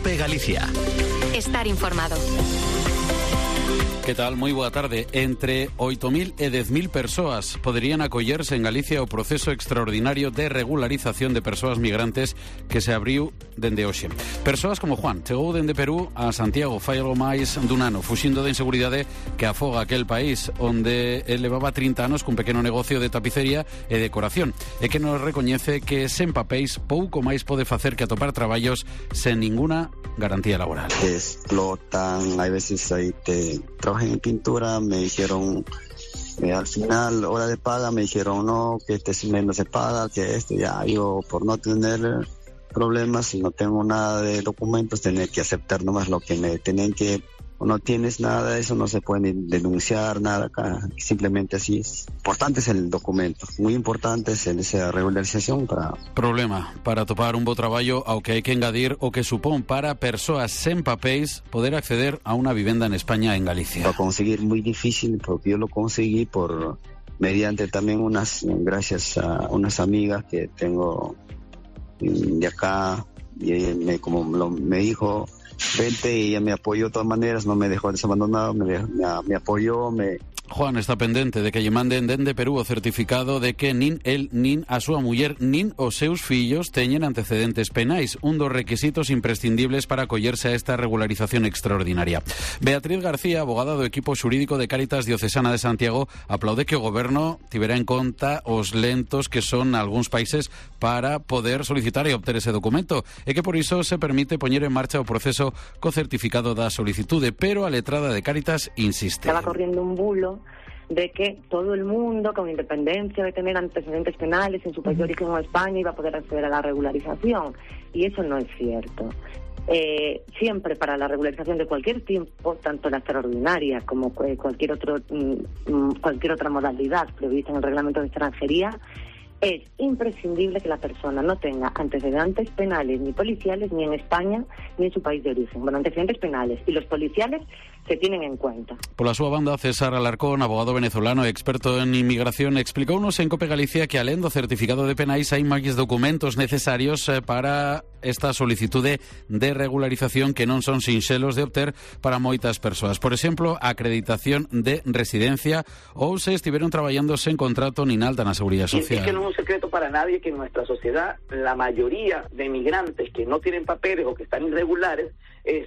COPE Galicia. Estar informado. Que tal? Moi boa tarde. Entre 8.000 e 10.000 persoas poderían acollerse en Galicia o proceso extraordinario de regularización de persoas migrantes que se abriu dende hoxe. Persoas como Juan chegou dende Perú a Santiago fai algo máis dun ano, fuxindo da inseguridade que afoga aquel país onde ele levaba 30 anos cun pequeno negocio de tapicería e decoración e que nos recoñece que sen papéis pouco máis pode facer que atopar traballos sen ninguna garantía laboral. Explotan, hay veces ahí trabajé en pintura, me dijeron al final, hora de paga, me dijeron no, que este mes no se paga, que ya yo por no tener problemas, si no tengo nada de documentos, tener que aceptar nomás lo que me tienen que, o no tienes nada de eso, no se puede denunciar nada acá, simplemente así es. Importante es el documento, muy importante es esa regularización para... Problema para topar un bo traballo ao que hai que engadir o que supón para persoas sen papéis poder acceder a unha vivenda en España, en Galicia. Para conseguir muy difícil, porque yo lo conseguí mediante también gracias a unas amigas que tengo de acá, y me dijo... Vente, y ella me apoyó de todas maneras, no me dejó desabandonado, me apoyó, Juan está pendente de que lle manden dende Perú o certificado de que nin el, nin a súa muller, nin os seus fillos teñen antecedentes penais, un dos requisitos imprescindibles para acollerse a esta regularización extraordinaria. Beatriz García, abogada do equipo xurídico de Cáritas Diocesana de Santiago, aplaude que o goberno tivera en conta os lentos que son algúns países para poder solicitar e obter ese documento, e que por iso se permite poñer en marcha o proceso co certificado da solicitude, pero a letrada de Cáritas insiste. Estaba corriendo un bulo de que todo el mundo, con independencia de tener antecedentes penales en su país de origen o España, iba a poder acceder a la regularización. Y eso no es cierto. Siempre para la regularización de cualquier tipo, tanto la extraordinaria como cualquier otra modalidad prevista en el reglamento de extranjería, es imprescindible que la persona no tenga antecedentes penales ni policiales ni en España ni en su país de origen. Bueno, antecedentes penales y los policiales se tienen en cuenta. Pola súa banda, César Alarcón, abogado venezolano e experto en inmigración, explicounos en COPE Galicia que alén do certificado de penais hai máis documentos necesarios para esta solicitude de regularización que non son sinxelos de obter para moitas persoas. Por exemplo, acreditación de residencia ou se estiveron traballando sen contrato nin alta na Seguridade Social. Es que no es un secreto para nadie que en nuestra sociedad la mayoría de migrantes que no tienen papeles o que están irregulares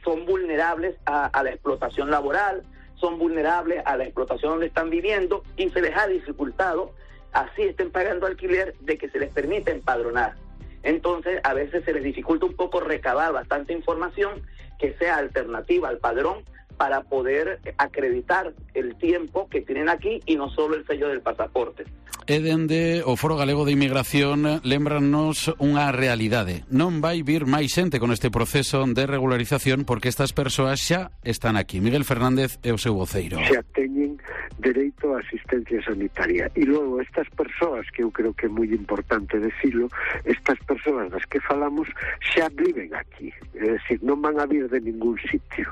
son vulnerables a la explotación laboral, son vulnerables a la explotación donde están viviendo y se les ha dificultado, así estén pagando alquiler, de que se les permita empadronar. Entonces, a veces se les dificulta un poco recabar bastante información que sea alternativa al padrón para poder acreditar el tiempo que tienen aquí y no solo el sello del pasaporte. E dende o Foro Galego de Inmigración lembranos unha realidade. Non vai vir máis xente con este proceso de regularización porque estas persoas xa están aquí. Miguel Fernández é o seu voceiro. Xa teñen dereito a asistencia sanitaria. E logo estas persoas, que eu creo que é moi importante decirlo, estas persoas das que falamos xa viven aquí. É dicir, non van a vir de ningún sitio.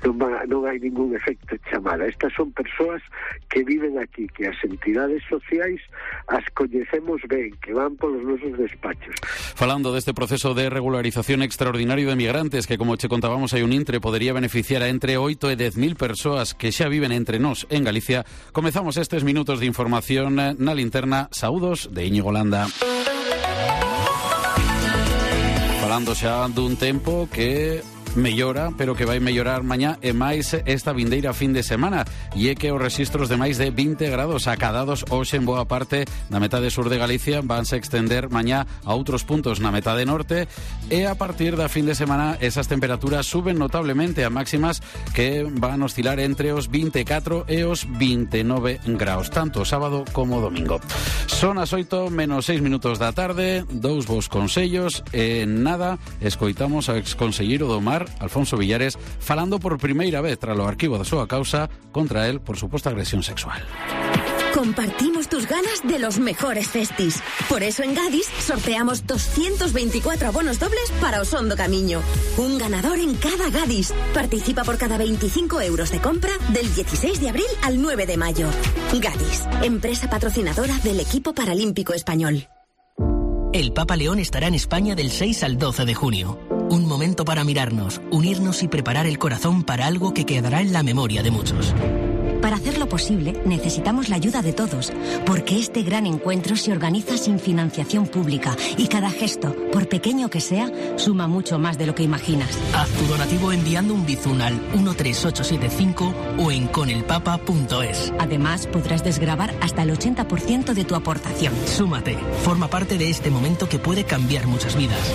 Non hai ningún efecto chamada. Estas son persoas que viven aquí, que as entidades sociais as coñecemos ben, que van polos nosos despachos. Falando deste proceso de regularización extraordinario de migrantes que, como che contábamos, hai un intre, podería beneficiar a entre 8 e 10.000 persoas que xa viven entre nós en Galicia, comezamos estes minutos de información na linterna. Saúdos de Íñigo Landa. Falando xa dun tempo que mellora, pero que vai mellorar mañá e máis esta vindeira fin de semana, e é que os rexistros de máis de 20 grados acadados hoxe en boa parte na metade sur de Galicia vanse extender mañá a outros puntos na metade norte, e a partir da fin de semana esas temperaturas suben notablemente a máximas que van oscilar entre os 24 e os 29 graus, tanto sábado como domingo. Son as 8 menos 6 minutos da tarde, dous vos consellos e nada, escoitamos ao exconselleiro do Mar, Alfonso Villares, falando por primeira vez tras o arquivo da súa causa contra él por suposta agresión sexual. Compartimos tus ganas de los mejores festis. Por eso en Gadis sorteamos 224 abonos dobles para Osondo Camiño. Un ganador en cada Gadis. Participa por cada 25 euros de compra del 16 de abril al 9 de mayo. Gadis, empresa patrocinadora del equipo paralímpico español. El Papa León estará en España del 6 al 12 de junio. Un momento para mirarnos, unirnos y preparar el corazón para algo que quedará en la memoria de muchos. Para hacerlo posible, necesitamos la ayuda de todos, porque este gran encuentro se organiza sin financiación pública y cada gesto, por pequeño que sea, suma mucho más de lo que imaginas. Haz tu donativo enviando un bizun al 13875 o en conelpapa.es. Además, podrás desgravar hasta el 80% de tu aportación. Súmate, forma parte de este momento que puede cambiar muchas vidas.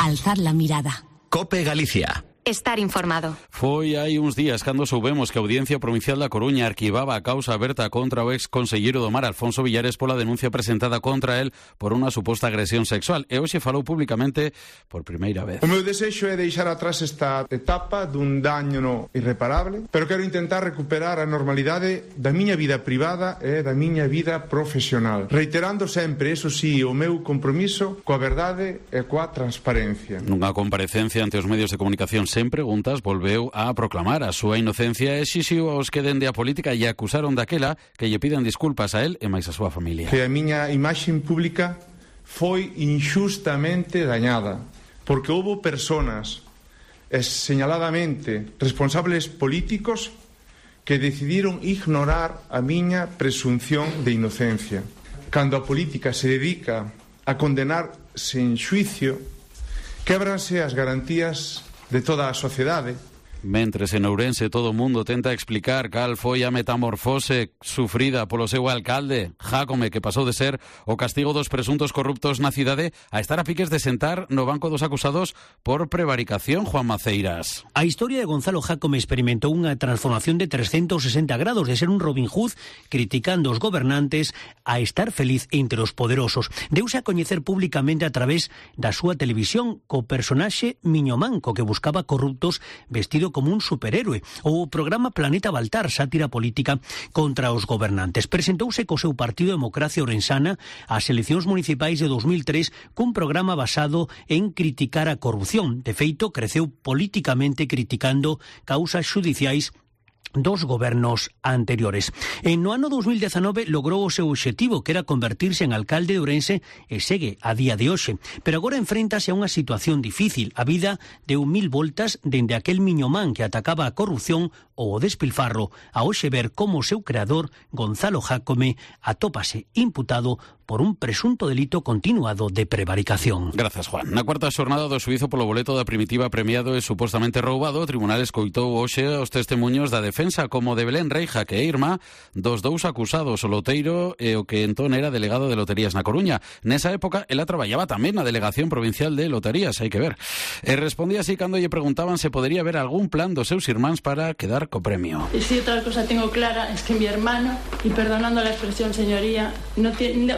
Alzar la mirada. COPE Galicia. Estar informado. Foi hai uns días cando soubemos que a Audiencia Provincial da Coruña arquivaba a causa aberta contra o ex conselleiro do Mar Alfonso Villares pola denuncia presentada contra el por unha suposta agresión sexual e hoxe falou públicamente por primeira vez. O meu desexo é deixar atrás esta etapa dun daño irreparable, pero quero intentar recuperar a normalidade da miña vida privada e da miña vida profesional, reiterando sempre, eso sí, o meu compromiso coa verdade e coa transparencia. Nunha comparecencia ante os medios de comunicación sen preguntas, volveu a proclamar a súa inocencia e exixiu aos que dende a política e acusaron daquela que lle pidan disculpas a él e máis a súa familia. Que a miña imaxe pública foi injustamente dañada, porque houbo personas, señaladamente responsables políticos, que decidiron ignorar a miña presunción de inocencia. Cando a política se dedica a condenar sen xuicio, québranse as garantías de toda a sociedade. Mentres en Ourense todo o mundo tenta explicar cal foi a metamorfose sufrida polo seu alcalde, Jácome, que pasou de ser o castigo dos presuntos corruptos na cidade a estar a piques de sentar no banco dos acusados por prevaricación, Juan Maceiras. A historia de Gonzalo Jácome experimentou unha transformación de 360 grados, de ser un Robin Hood criticando os gobernantes a estar feliz entre os poderosos. Deuse a coñecer públicamente a través da súa televisión co personaxe Miño Manco, que buscaba corruptos vestido como un superhéroe, ou o programa Planeta Baltar, sátira política contra os gobernantes. Presentouse co seu partido Democracia Orensana ás eleccións municipais de 2003 cun programa basado en criticar a corrupción. De feito, creceu políticamente criticando causas xudiciais dos gobernos anteriores. No ano 2019 logrou o seu obxectivo, que era convertirse en alcalde de Ourense, e segue a día de hoxe. Pero agora enfréntase a unha situación difícil. A vida deu 1000 voltas dende aquel miñomán que atacaba a corrupción ou o despilfarro, a hoxe ver como o seu creador, Gonzalo Jácome, atópase imputado por un presunto delito continuado de prevaricación. Grazas, Juan. Na cuarta xornada do xuízo polo boleto da Primitiva premiado e supostamente roubado, o tribunal escoitou hoxe os testemuños da defensa como de Belén Reija, que é irmá dos dous acusados, o loteiro e o que entón era delegado de loterías na Coruña. Nesa época, ela traballaba tamén na Delegación Provincial de Loterías, hai que ver. E respondía así cando lle preguntaban se podería haber algún plan dos seus irmáns para quedar co premio. Y si otra cosa tengo clara es que mi hermano, y perdonando la expresión, señoría, no tiene,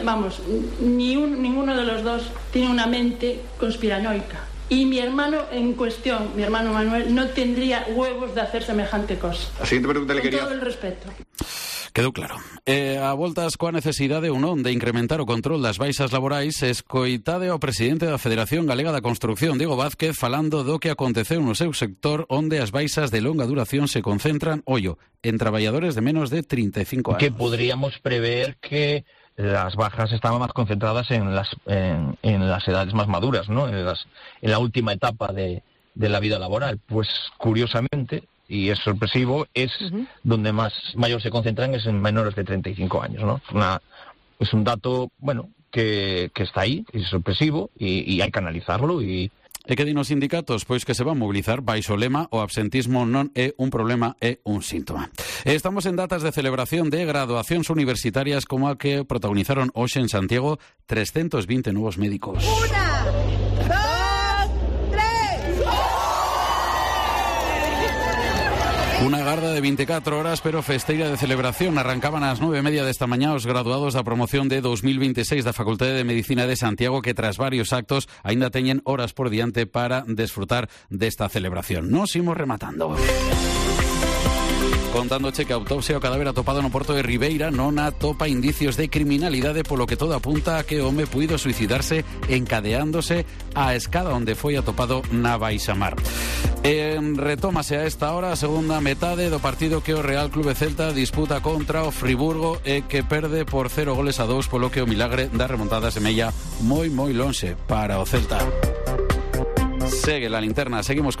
ninguno de los dos tiene una mente conspiranoica. Y mi hermano en cuestión, mi hermano Manuel, no tendría huevos de hacer semejante cosa. La siguiente pregunta le quería... Con todo el respeto. Quedou claro. A voltas coa necesidade ou non de incrementar o control das baixas laborais, escoitade ao presidente da Federación Galega da Construcción, Diego Vázquez, falando do que aconteceu no seu sector, onde as baixas de longa duración se concentran, en traballadores de menos de 35 anos. Que podríamos prever que las bajas estaban más concentradas en las edades más maduras, ¿no? En la última etapa de la vida laboral. Pues curiosamente, y es sorpresivo, es donde mayor se concentran es en menores de 35 años, ¿no? Es un dato, bueno, que está ahí, es sorpresivo y hay que analizarlo y... E que din os sindicatos? Pois que se van mobilizar baixo o lema o absentismo non é un problema, é un síntoma. Estamos en datas de celebración de graduacións universitarias como a que protagonizaron hoxe en Santiago 320 novos médicos. ¡Una! Unha garda de 24 horas, pero festeira de celebración. Arrancaban ás 9:30 desta mañá os graduados da promoción de 2026 da Facultade de Medicina de Santiago, que tras varios actos aínda teñen horas por diante para desfrutar desta celebración. Nos imos rematando. Contándoche que a autopsia o cadáver atopado no porto de Ribeira non atopa indicios de criminalidade, polo que todo apunta a que o home puido suicidarse encadeándose á escada onde foi atopado na baixamar. Retómase a esta hora a segunda metade do partido que o Real Clube Celta disputa contra o Friburgo e que perde por 0-2, polo que o milagre da remontada semella moi lonxe para o Celta. Sigue la linterna, seguimos con